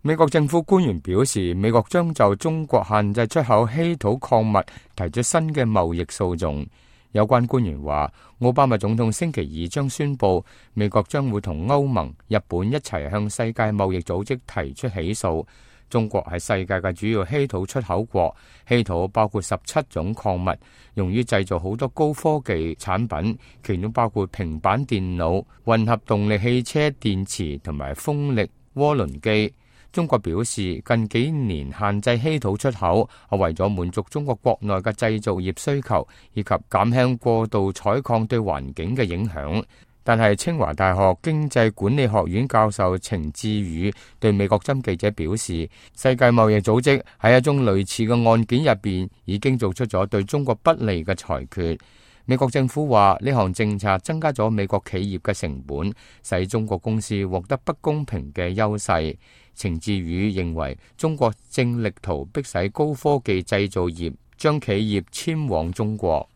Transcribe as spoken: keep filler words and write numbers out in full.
美國政府官員表示，美國將就中國限制出口稀土礦物提出新嘅貿易訴訟。有關官員話，奧巴馬總統星期二將宣布，美國將會同歐盟、日本一齊向世界貿易組織提出起訴。中國係世界嘅主要稀土出口國，稀土包括十七種礦物，用於製造好多高科技產品，其中包括平板電腦、混合動力汽車電池同埋風力渦輪機。中國表示，近幾年限制稀土出口係為咗滿足中國國內嘅製造業需求，以及減輕過度採礦對環境嘅影響。但係清華大學經濟管理學院教授程志宇對美國針記者表示，世界貿易組織喺一宗類似嘅案件入邊已經做出咗對中國不利嘅裁決。美國政府話呢項政策增加咗美國企業嘅成本，使中國公司獲得不公平嘅優勢。程志宇認為中國正力圖迫使高科技製造業將企業遷往中國。